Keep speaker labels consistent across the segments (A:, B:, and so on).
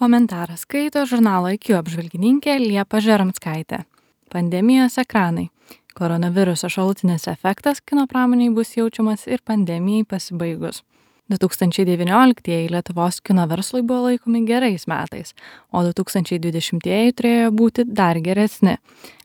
A: Komentarą skaito žurnalo IQ apžvalgininkė Liepa Žeromskaitė. Pandemijos ekranai. Koronaviruso šalutinis efektas kino pramoniai bus jaučiamas ir pandemijai pasibaigus. 2019 Lietuvos kino verslui buvo laikomi gerais metais, o 2020 turėjo būti dar geresni.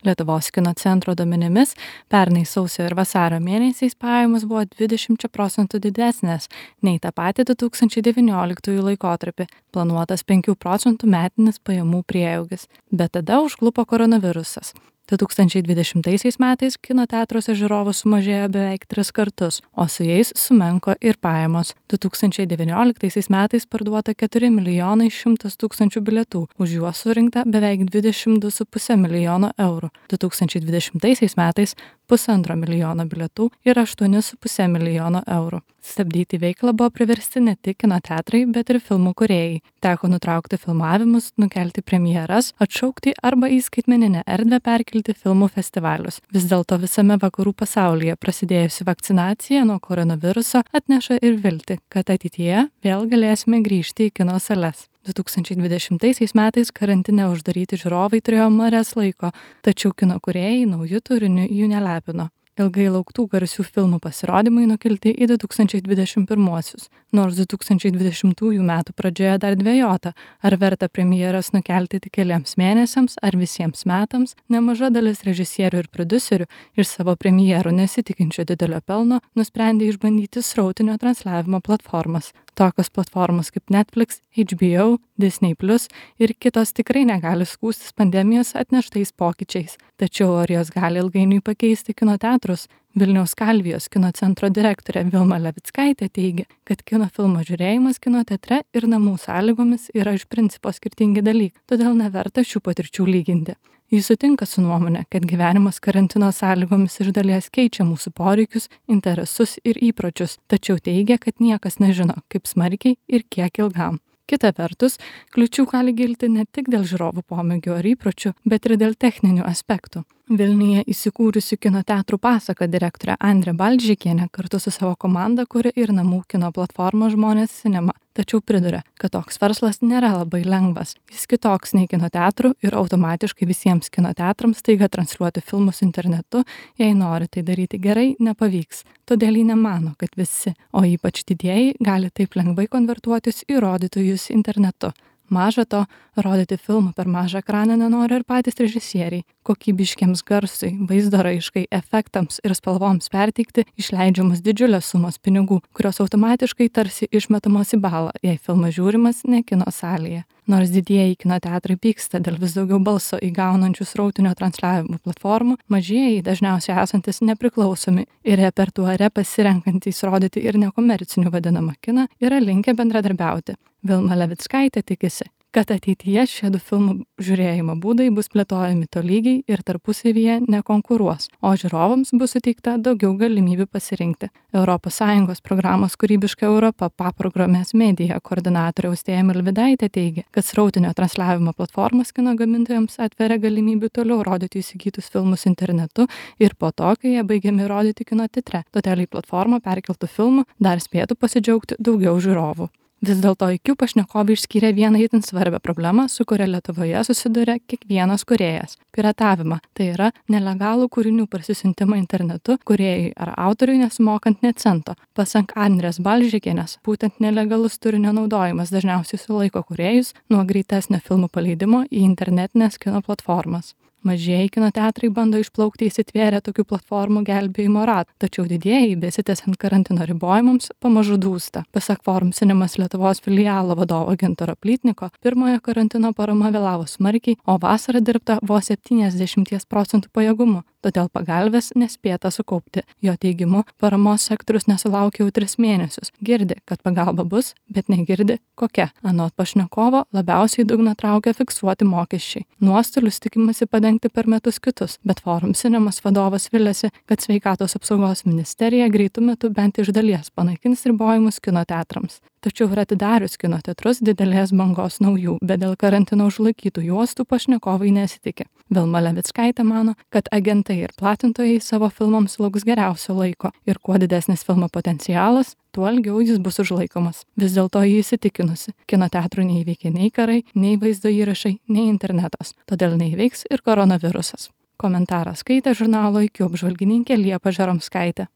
A: Lietuvos kino centro duomenimis pernai sausio ir vasario mėnesiais pajamos buvo 20% didesnės nei tą patį 2019 laikotarpį, planuotas 5% metinis pajamų prieaugis, bet tada užklupo koronavirusas. 2020 metais kino teatruose žiūrovų sumažėjo beveik 3 kartus, o su jais sumenko ir pajamos. 2019 metais parduota 4 100 000 bilietų, už juos surinkta beveik 22,5 milijono eurų. 2020 metais 1,5 milijono bilietų ir 8,5 milijono eurų. Stabdyti veiklą buvo priversti ne tik kino teatrai, bet ir filmų kūrėjai. Teko nutraukti filmavimus, nukelti premjeras, atšaukti arba į skaitmeninę erdvę perkelti filmų festivalius. Vis dėlto visame vakarų pasaulyje prasidėjusi vakcinacija nuo koronaviruso atneša ir viltį, kad ateityje vėl galėsime grįžti į kino sales. 2020 metais karantine uždaryti žiūrovai turėjo marias laiko, tačiau kino kūrėjai naujų turinių jų nelepino. Ilgai lauktų garsių filmų pasirodymai nukelti į 2021-uosius. Nors 2020 metų pradžioje dar dvejota, ar verta premjeras nukelti tik keliems mėnesiams ar visiems metams, nemaža dalis režisierių ir prodiuserių iš savo premjerų nesitikinčio didelio pelno nusprendė išbandyti srautinio transliavimo platformas. Tokios platformos kaip Netflix, HBO, Disney+ ir kitos tikrai negali skųstis pandemijos atneštais pokyčiais. Tačiau ar jos gali ilgainiui pakeisti kino teatrus? Vilniaus Kalvijos kino centro direktorė Vilma Levickaitė teigia, kad kino filmo žiūrėjimas kino teatre ir namų sąlygomis yra iš principo skirtingi dalykai, todėl neverta šių patirčių lyginti. Jis sutinka su nuomonė, kad gyvenimas karantino sąlygomis iš dalies keičia mūsų poreikius, interesus ir įpročius, tačiau teigia, kad niekas nežino, kaip smarkiai ir kiek ilgam. Kita vertus, kliūčių gali kilti ne tik dėl žiūrovų pomėgių ar įpročių, bet ir dėl techninių aspektų. Vilniuje įsikūrusi kino teatrų Pasaka direktorė Andrė Balžekienė kartu su savo komanda kuria ir namų kino platformą Žmonės Cinema. Tačiau priduria, kad toks verslas nėra labai lengvas. Jis kitoks nei kino teatrų ir automatiškai visiems kino teatrams staiga transliuoti filmus internetu, jei nori tai daryti gerai, nepavyks. Todėl ji nemano, kad visi, o ypač didieji, gali taip lengvai konvertuotis į rodytojus internetu. Maža to, rodyti filmą per mažą ekraną nenori ir patys režisieriai. Kokybiškiams garsui, vaizdo raiškai, efektams ir spalvoms perteikti išleidžiamos didžiulės sumos pinigų, kurios automatiškai tarsi išmetamos į balą, jei filmas žiūrimas ne kino salėje. Nors didieji kino teatrai pyksta dėl vis daugiau balso įgaunančių srautinio transliavimo platformų, mažieji, dažniausiai esantis nepriklausomi ir repertuare pasirenkantys rodyti ir nekomercinių vadinamą kiną, yra linkę bendradarbiauti. Vilma Levickaitė tikisi, kad ateityje šie 2 filmų žiūrėjimo būdai bus plėtojami tolygiai ir tarpusavyje nekonkuruos, o žiūrovams bus suteikta daugiau galimybių pasirinkti. ES programos Kūrybiška Europa paprogramės medija koordinatorė Austėja Milvydaitė teigia, kad srautinio transliavimo platformos kino gamintojams atveria galimybių toliau rodyti įsigytus filmus internetu ir po to, kai jie baigiami rodyti kino teatre. Todėl į platformą perkeltų filmų dar spėtų pasidžiaugti daugiau žiūrovų. Vis dėlto IQ pašnekovai išskyrė vieną itin svarbią problemą, su kuria Lietuvoje susiduria kiekvienas kūrėjas – piratavimą. Tai yra nelegalų kūrinių parsisiuntimą internetu kūrėjui ar autoriui nesumokant net cento. Pasak Andrės Balžekienės, būtent nelegalus turinio naudojimas dažniausiai sulaiko kūrėjus nuo greitesnio filmų paleidimo į internetinės kino platformas. Mažieji kino teatrai bando išplaukti įsitvėrę tokių platformų gelbėjimo ratą, tačiau didieji, besitęsiant karantino ribojimams, pamažu dūsta. Pasak Forum Cinemas Lietuvos filialo vadovo Gintaro Plytniko, pirmojo karantino parama vėlavo smarkiai, o vasarą dirbta vos 70% pajėgumu, todėl pagalbės nespėta sukaupti. Jo teigimu, paramos sektorius nesulaukė jau 3 mėnesius. Girdi, kad pagalba bus, bet negirdi kokia. Anot pašnekovo, labiausiai dugną traukia fiksuoti mokesčiai. Nuostolius tikimasi padengti per metus kitus, bet Forum Cinemas vadovas viliasi, kad Sveikatos apsaugos ministerija greitu metu bent iš dalies panaikins ribojimus kino teatrams. Tačiau ir atidarius kino teatrus didelės bangos naujų, bet dėl karantino užlaikytų juostų pašnekovai nesitikė. Vilma Levickaitė mano, kad agentai ir platintojai savo filmams lauks geriausio laiko ir kuo didesnis filmo potencialas, tuo ilgiau jis bus užlaikomas. Vis dėlto jį įsitikinusi, kino teatrų neįveikia nei karai, nei vaizdo įrašai, nei internetas, todėl neįveiks ir koronavirusas. Komentarą skaitė žurnalo IQ apžvalgininkė Liepa Žeromskaitė.